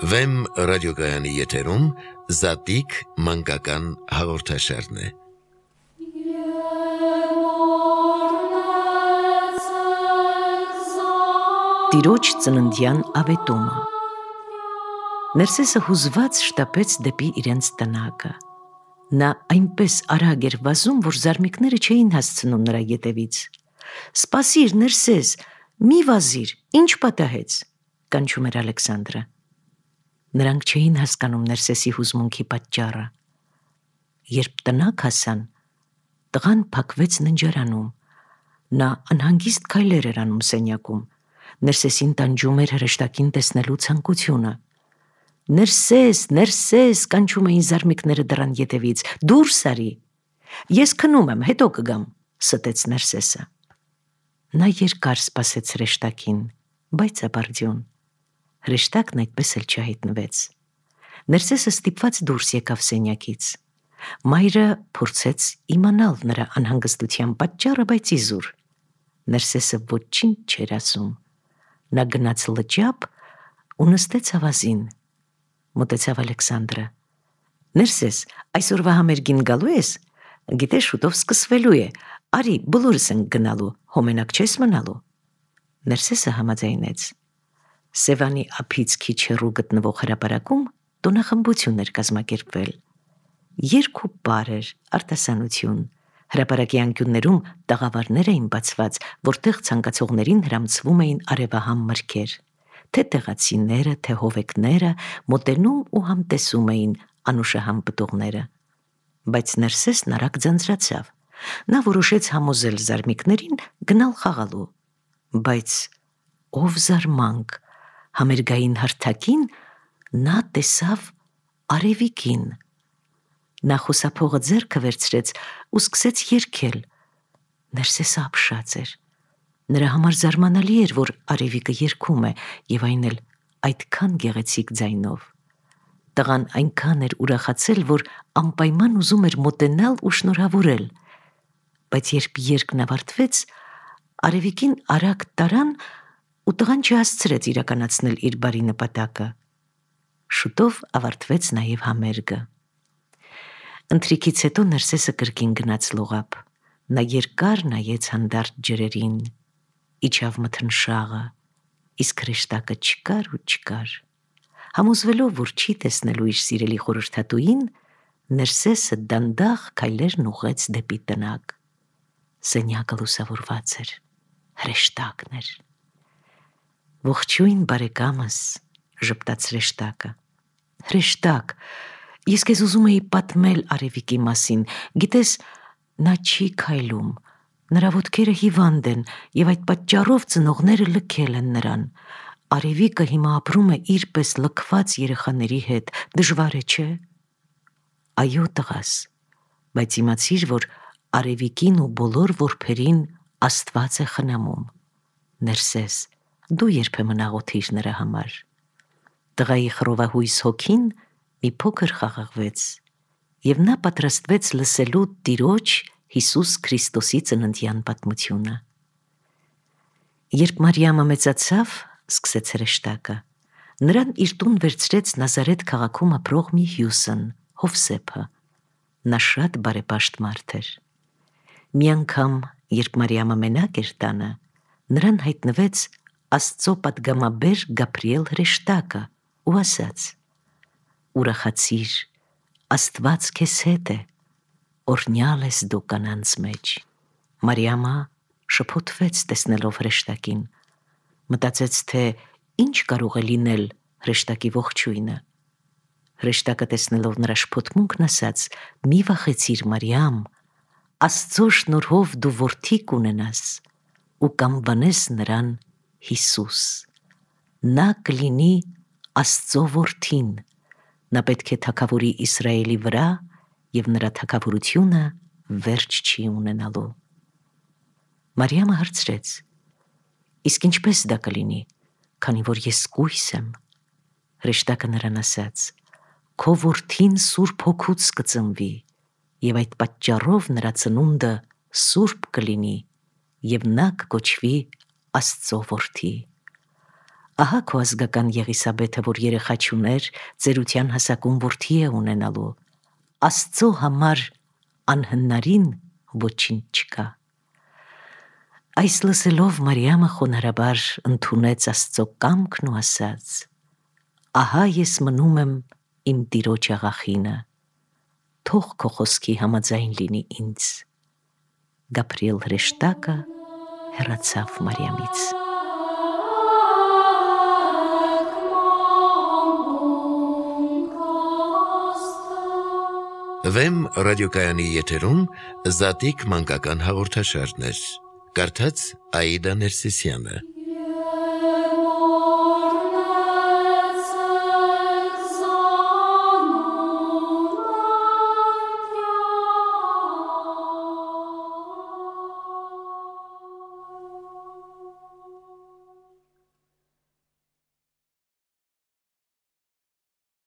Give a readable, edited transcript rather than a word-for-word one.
Վեմ ռադիոգայանի եթերում Զատիկ մանկական հաղորդաշարն է։ Տիրոջ ծննդյան ավետումը։ Ներսեսը հուզված շտապեց դեպի իրենց տնակը։ Նա այնպես արագ էր վազում, որ զարմիկները չէին հասցնում նրա ետևից։ «Սպասիր, Ներսես, մի վազիր, ինչ պատահեց», կանչում էր Ալեքսանդրը։ Նրանք չէին հասկանում Ներսեսի հուզմունքի պատճառը։ Երբ տնակ հասան, տղան փակվեց ննջարանում։ Նա անհանգիստ քայլեր էր անում սենյակում։ Ներսեսին տանջում էր հրեշտակին տեսնելու ցանկությունը։ «Ներսես, Ներսես», կանչում էին զարմիկները դռան ետևից, «դուրս արի»։ «Ես քնում եմ, հետո կգամ», ստեց Ներսեսը։ Նա երկար սպասեց հրեշտակին, բայց ապարդյուն։ Հրեշտակն այդպես էլ չհայտնվեց։ Ներսեսը ստիպված դուրս եկավ սենյակից։ Մայրը փորձեց իմանալ նրա անհանգստության պատճառը, բայց իզուր։ Ներսեսը ոչինչ չէր ասում։ Նա գնաց լճապ ու նստեց ավազին։ Մոտեցավ Ալեքսանդրը։ «Ներսես, այսօրվա համերգին գալու ես? Գիտես, շուտով սկսվելու է։ Արի, բոլորս ենք գնալու, հոմենակ չես մնալու»։ Ներսեսը համաձայնեց։ Սևանի ափից քիչ հեռու գտնվող հրապարակում տոնախմբություն էր կազմակերպվել։ Երգ ու պար էր, արտասանություն։ Հրապարակի անկյուններում տաղավարներ էին բացված, որտեղ ցանկացողներին հրամցվում էին արևահամ մրգեր։ Թե տեղացիները, թե հովեկները մոտենում ու համտեսում էին անուշահամ պտուղները։ Բայց Ներսեսն արագ ձանձրացավ։ Նա որոշեց համոզել զարմիկներին գնալ խաղալու։ Բայց ով զարմանք, համերգային հարթակին նա տեսավ Արևիկին։ Նա խոսափողը ձեռքը վերցրեց ու սկսեց երգել։ Ներսեսը ապշած էր։ Նրա համար զարմանալի էր, որ Արևիկը երգում է, եւ այն էլ այդքան գեղեցիկ ձայնով։ Տղան այնքան էր ուրախացել, որ անպայման ուզում էր մոտենալ ու շնորհավորել։ Բայց երբ երգն ավարտվեց, Արևիկին արագ տարան ու տղան չհասցրեց իրականացնել իր բարի նպատակը։ Շուտով ավարտվեց նաև համերգը։ Ընթրիքից հետո Ներսեսը կրկին գնաց լողափ։ Նա երկար նայեց հանդարտ ջրերին, իջավ մթնշաղը, իսկ հրեշտակը չկար ու չկար։ Համոզվելով, որ չի տեսնելու իր սիրելի խորհրդատուին, Ներսեսը դանդաղ քայլերն ուղղեց դեպի տնակ։ Սենյակը լուսավորված էր, հրեշտակն էր։ «Ողջույն, բարեկամս», ժպտաց հրեշտակը։ «Հրեշտակ, ես քեզ ուզում էի պատմել Արևիկի մասին, գիտես, նա չի քայլում, նրա ոտքերը հիվանդ են եւ այդ պատճառով ծնողները լքել են նրան։ Արևիկը հիմա ապրում է իր պես լքված երեխաների հետ, դժվար է, չէ՞։ Այո, տղաս, բայց իմացիր, որ Արևիկին ու բոլոր որբերին Աստված է խնամում։ Ներսես, դու երբեմն աղոթիր նրա համար։ Տղայի խռովահույս հոգին մի փոքր խաղաղվեց, եւ նա պատրաստվեց լսելու Տիրոջ Հիսուս Քրիստոսի ծննդյան պատմությունը։ Երբ Մարիամը մեծացավ, սկսեց հրեշտակը, նրան իր տուն վերցրեց Նազարեթ քաղաքում ապրող մի հյուսն, Հովսեփը։ Նա շատ բարեպաշտ մարդ էր։ Մի անգամ, երբ Մարիամը մենակ էր տանը, նրան հայտնվեց Աստծո պատգամաբեր Գաբրիել հրեշտակը ու ասաց. «Ուրախացիր, Աստված քեզ հետ է, օրհնյալ ես դու կանանց մեջ»։ Մարիամը շփոթվեց տեսնելով հրեշտակին, մտածեց, թե ինչ կարող է լինել հրեշտակի ողջույնը։ Հրեշտակը տեսնելով նրա շփոթմունքն ասաց. «Մի վախեցիր, Մարիամ, Աստծո շնորհով դու որդի կունենաս ու կանվանես նրան Հիսուս։ Նա կլինի Աստծո որդին, նա պետք է թագավորի Իսրայելի վրա եւ նրա թագավորությունը վերջ չի ունենալու»։ Մարիամը հարցրեց. «Իսկ ինչպես դա կլինի, քանի որ ես կույս եմ»։ Հրեշտակը նրան ասաց. «Քո որդին Սուրբ Հոգուց կծնվի, եւ այդ պատճառով նրա ծնունդը սուրբ կլինի, եւ նա կկոչվի Աստծո որդի։ Ահա քո ազգական Եղիսաբեթը, որ երեխա չուներ, ծերության հասակում որդի է ունենալու։ Աստծո համար անհնարին ոչինչ չկա։ Այս լսելով Մարիամը խոնարհաբար ընդունեց Աստծո կամքն ու ասաց. «Ահա ես մնում եմ իմ տիրոջ աղախինը, թող քո խոսքի համաձայն լինի ինձ»։ Գաբրիել հրեշտակը հեռացավ Մարիամից։ Վեմ ռադիոկայանի եթերում Զատիկ մանկական հաղորդաշարներ։ Կարդաց Աիդա Ներսիսյանը։